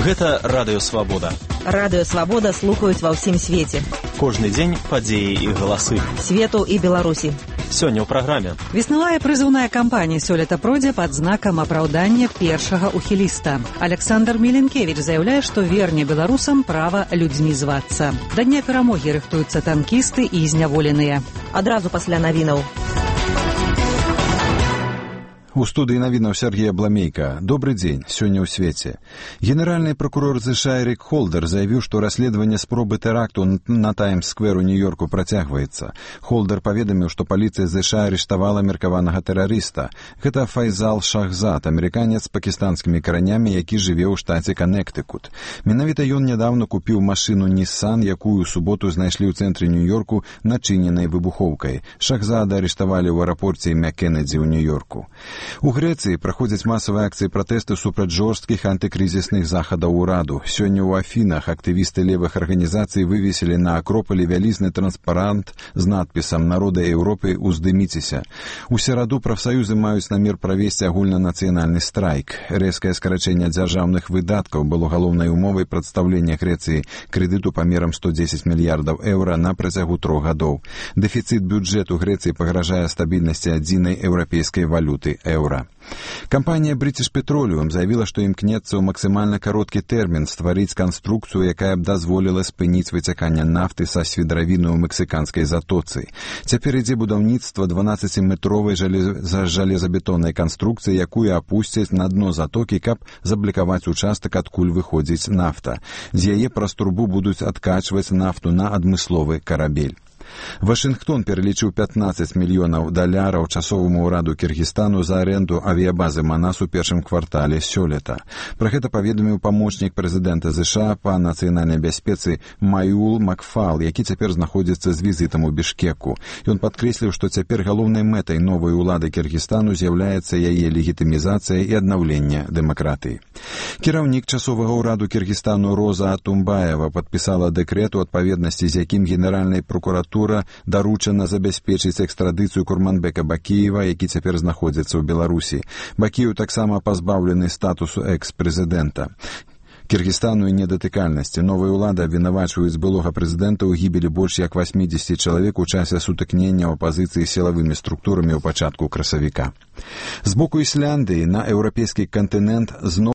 Гэта Радыё Свабода. Радыё Свабода слухаюць ва ўсім свеце. Кожны дзень падзеі і галасы. Свету і Беларусі. Сёння ў праграме. Веснавая прызыўная кампанія сёлета пройдзе пад знакам апраўдання першага ухіліста. Александр Міленкевіч заяўляе, што верне беларусам права людзьмі звацца. Да дня перамогі рыхтуюцца танкісты і зняволеныя. Адразу пасля навінаў. У студыі навінаў Сергея Бламейка. Добрый дзень, сёння ў свеце. Генеральны прокурор США Эрік Холдер заявіў, што расследаванне спробы тэракту на Таймс-сквер у Нью-Йорку працягваецца. Холдер паведаміў, што паліцыя США арыштавала меркаванага тэрарыста. Гэта Файзал Шахзад, амерыканец з пакістанскімі каранямі, які жыве ў штаце Каннектыкут. Менавіта ён нядаўна купіў машыну Nissan, якую ў суботу знайшлі ў цэнтры Нью-Йорку начыненай выбухоўкай. Шахзада арыштавалі ў аэрапорце імя Кеннеді ў Нью-Йорку. У Грэцыі праходзяць масавыя акцыі пратэсту супраць жорсткіх антыкрызісных захадаў ураду. Сёння ў Афінах актывісты левых арганізацый вывесілі на акропалі вялізны транспарант з надпісам «Народы Еўропы, уздыміцеся». У сераду прафсаюзы маюць намер правесці агульнанацыянальны страйк. Рэзкае скарачэнне дзяржаўных выдаткаў было галоўнай умовай прадстаўлення Грэцыі крэдыту памерам 110 мільярдаў еўра на працягу 3 гадоў. Дэфіцыт бюджэту Грэцыі пагражае стабільнасці адзінай еўрапейскай валюты еўра. Кампанія British Petroleum заявіла, што імкнецца ў максімальна кароткі тэрмін стварыць канструкцыю, якая б дазволіла спыніць выцяканне нафты са свідравіны ў мексіканскай затоцы. Цяпер ідзе будаўніцтва 12-метровай жалезабетоннай канструкцыі, якую апусцяць на дно затокі, каб заблікаваць участак, адкуль выходзіць нафта. З яе праз трубу будуць адкачваць нафту на адмысловы карабель. Вашынгтон пералічыў $15 мільёнаў часоваму ўраду Кіргізстану за аренду авіябазы Манас у першым квартале сёлета. Пра гэта паведаміў памочнік прэзідэнта США па нацыянальнай бяспецы Маюл Макфал, які цяпер знаходзіцца з візітам у Бішкеку. Ён падкрэсліў, што цяпер галоўнай мэтай новай улады Кіргізстану з'яўляецца яе легітымізацыя і аднаўленне дэмакратыі. Кіраўнік часовага ўраду Кіргізстану Роза Атумбаева падпісала дэкрэт, у адпаведнасці з якім генеральнай прокуратуры даручана забяспечыць экстрадыцыю Курманбека Бакіева, які цяпер знаходзіцца ў Беларусі. Бакіеў таксама пазбаўлены статусу экс-прэзідэнта. Кіргізстану і недатыкальнасці. Новая ўлада абвінавачваюць былога прэзідэнта ў гібелі больш як 80 чалавек у часе сутыкнення ў апазіцыі з сілавымі структурамі ў пачатку красавіка. З боку Ісляндыі на еўрапейскі кантынент зноў